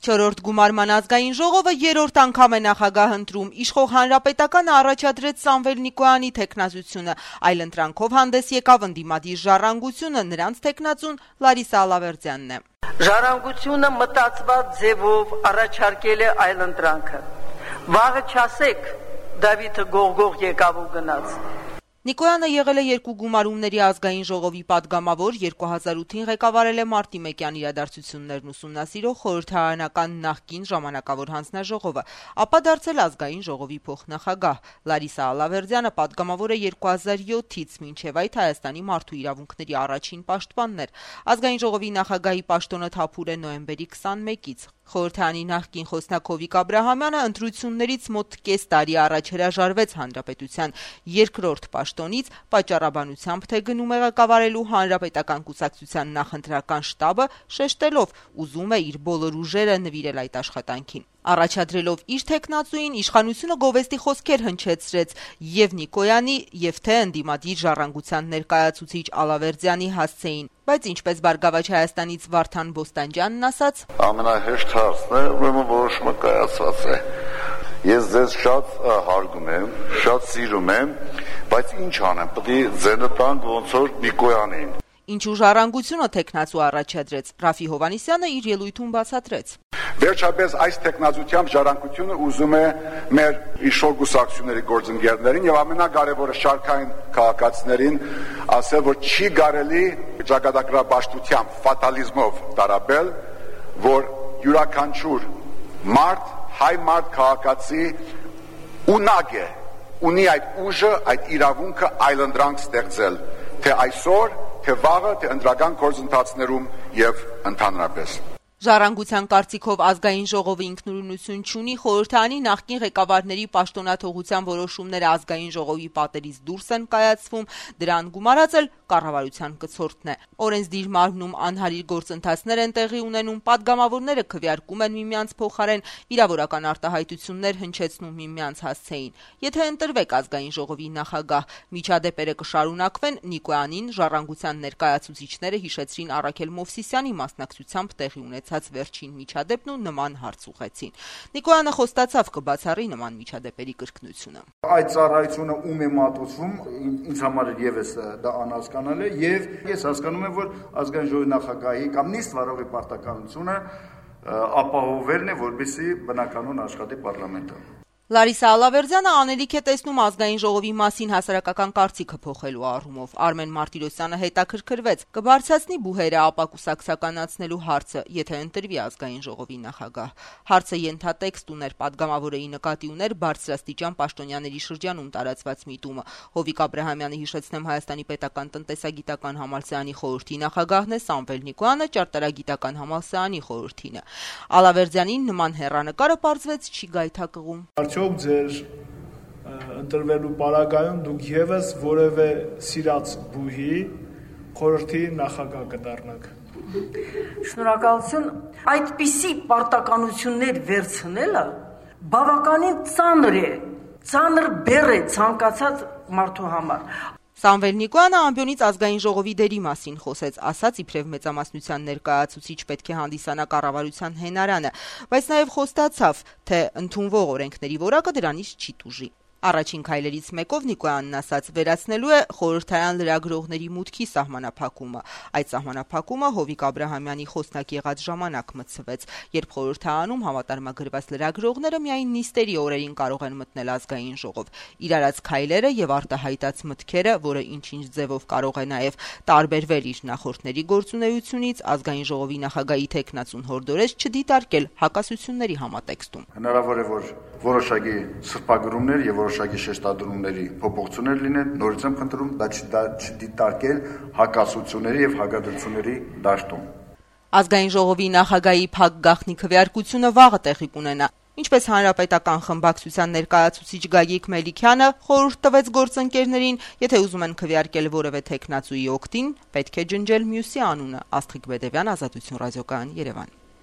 4-րդ գումարման ազգային ժողովը երրորդ անգամ է նախագահ ընտրում։ Իշխող Հանրապետականը առաջադրեց Սամվել Նիկոյանի թեկնածությունը, այլ ընտրանքով հանդես եկավ ընդդիմադիր Ժառանգությունը, նրանց թեկնածուն Լարիսա Ալավերդյանն է։ Ժառանգությունը մտածված ձևով առաջարկել է այլ ընտրանքը։ Վաղը չասեք, Դավիթը գողգող եկավ ու գնաց։ Նիկոյանը եղել է երկու գումարումների ազգային ժողովի պատգամավոր, 2008-ին ղեկավարել է Մարտիմեկյան իրադարձություններն ուսումնասիրող խորհրդարանական նախկին ժամանակավոր հանձնաժողովը, ապա դարձել ազգային ժողովի փոխնախագահ։ Լարիսա Ալավերդյանը պատգամավոր է 2007-ից մինչև այդ Հայաստանի մարդու իրավունքների առաջին պաշտպանն էր։ Ազգային ժողովի նախագահի պաշտոնը թափուր է նոյեմբերի 21-ից։ Խորհրդարանի նախկին խոսնակ Հովիկ Աբրահամյանը ընտրություններից մոտ կես տարի առաջ հրաժարվեց հանրապետության երկրորդ պաշտոնից, պատճառաբանությամբ թե գնում է ղեկավարելու հանրապետական կուսակցության նախընտրական շտաբը, շեշտելով ուզում է իր բոլոր ուժերը նվիրել այդ աշխատանքին։ Առաջադրելով իր թեկնածուին, իշխանությունը գովեստի խոսքեր հնչեցրեց եւ Նիկոյանի, եւ թե ընդդիմադիր Ժառանգության ներկայացուցիչ Ալավերդյանի հասցեին, բայց ինչպես Բարգավաճ Հայաստանից Վարդան Բոստանջյանն ասաց. ամենահեշտ հարցն է, ուրեմն որոշումը կայացած է։ Ես ձեզ շատ հարգում եմ, շատ սիրում եմ, բայց ինչ անեմ, պետք է ձենը տանք ոնց որ Նիկոյանին։ Ինչու Ժառանգությունը թեկնածու առաջադրեց, Ռաֆի Հովհաննիսյանը իր ելույթում բացատրեց. Վերջապես այս տեխնազությամբ Ժառանգությունը ուզում է մեր իշխող կուսակցությունների գործընկերներին եւ ամենակարևորը շարքային քաղաքացիներին ասել, որ չի կարելի ճակատագրաբաշխությամբ, ֆատալիզմով տարաբել, որ յուրաքանչյուր մարդ, հայ մարդ քաղաքացի ունակ է, ունի այդ ուժը, այդ իրավունքը այլընտրանք ստեղծել, թե այսօր, թե վաղը, թե ընտրական գործընթացներում եւ ընդհանրապես։ Ժառանգության կարծիքով ազգային ժողովը ինքնուրույնություն չունի, խորհրդարանի նախկին ղեկավարների պաշտոնաթողության որոշումները ազգային ժողովի պատերից դուրս են կայացվում, դրան գումարած էլ կառավարության կցորդն է։ Օրենսդիր մարմնում անհարիր գործընթացներ են տեղի ունենում, պատգամավորները քվեարկում են միմյանց փոխարեն, վիրավորական արտահայտություններ հնչեցնում միմյանց հասցեին։ Եթե ընտրվեք ազգային ժողովի նախագահ, միջադեպերը կշարունակվեն, Նիկոյանին Ժառանգության ներկայացուցիչները հիշեցրին Առաքել Մովսիսյանի մասնակցությամբ տեղի ունեցած վերջին միջադեպն ու նման հարց ուղղեցին։ Նիկոյանը խոստացավ կբացառի նման միջադեպերի կրկնությունը։ Այդ ծառայությունը ում է մատուցվում, ինձ համար եւս դա անհասկանալ է եւ ես հասկանում եմ, որ ազգային ժողովի նախագահի կամ նիստ վարողի պարտականությունը ապահովելն է, որպեսզի բնականon աշխատի պարլամենտը։ Լարիսա Ալավերդյանը անելիք է տեսնում ազգային ժողովի մասին հասարակական կարծիքը փոխելու առումով։ Արմեն Մարտիրոսյանը հետաքրքրվեց. կբարձրացնի բուհերը ապակուսակցականացնելու հարցը, եթե ընտրվի ազգային ժողովի նախագահ։ Հարցը ենթատեքստ ուներ, պատգամավորեի նկատի ուներ բարձրաստիճան պաշտոնյաների շրջանում տարածված միտումը։ Հովիկ Աբրահամյանը հիշեցնեմ Հայաստանի պետական տնտեսագիտական համալսարանի խորհրդի նախագահն է, Սամվել Նիկոյանը ճարտարագիտական համալսարանի խորհրդինը։ Ալավերդյանին նման հեռանկարը պարզվեց չի գայթակղում։ Արդյոք ձեր ընտրվելու պարագայում դուք եւս որևէ սիրած բուհի խորհրդի նախագահ կդառնաք։ Շնորհակալություն, այդպիսի պարտականություններ վերցնելը բավականին ծանր է, ծանր բեռ է ցանկացած մարդու համար։ Սամվել Նիկոյանը ամբյոնից ազգային ժողովի դերի մասին խոսեց, ասաց իբրև մեծամասնության ներկայացուցիչ պետք է հանդիսանա կառավարության հենարանը, բայց նաև խոստացավ, թե ընդունվող օրենքների որակը դրանից չի տուժի։ Առաջին քայլերից մեկով Նիկոյանն ասաց վերացնելու է խորհրդարան լրագրողների մուտքի սահմանափակումը։ Այդ սահմանափակումը Հովիկ Աբրահամյանի խոսնակ եղած ժամանակ մտցվեց, երբ խորհրդարանում համատարմագրված լրագրողները միայն նիստերի օրերին կարող են մտնել ազգային ժողով։ Իր արած քայլերը եւ արտահայտած մտքերը, որը ինչ-ինչ ձևով կարող է նաեւ տարբերվել իր նախորդների գործունեությունից, ազգային ժողովի նախագահի թեկնածուն հորդորեց չդիտարկել հակասությունների համատեքստում։ Հնարավոր է, որ որոշակի սրբագրումներ եւ որոշակի շեշտադրումների փոփոխություններ լինեն, նորից եմ խնդրում դա չդիտարկել հակասությունների եւ հակադրությունների դաշտում։ Ազգային ժողովի նախագահի փակ գաղտնի քվեարկությունը վաղը տեղի կունենա։ Ինչպես հանրապետական խմբակցության ներկայացուցիչ Գագիկ Մելիքյանը խորհուրդ տվեց գործընկերներին, եթե ուզում են քվեարկել որևէ թեկնածուի օգտին, պետք է ջնջել մյուսի անունը։ Աստղիկ Բեդևյան, Ազատություն ռադիոկայան, Երևան։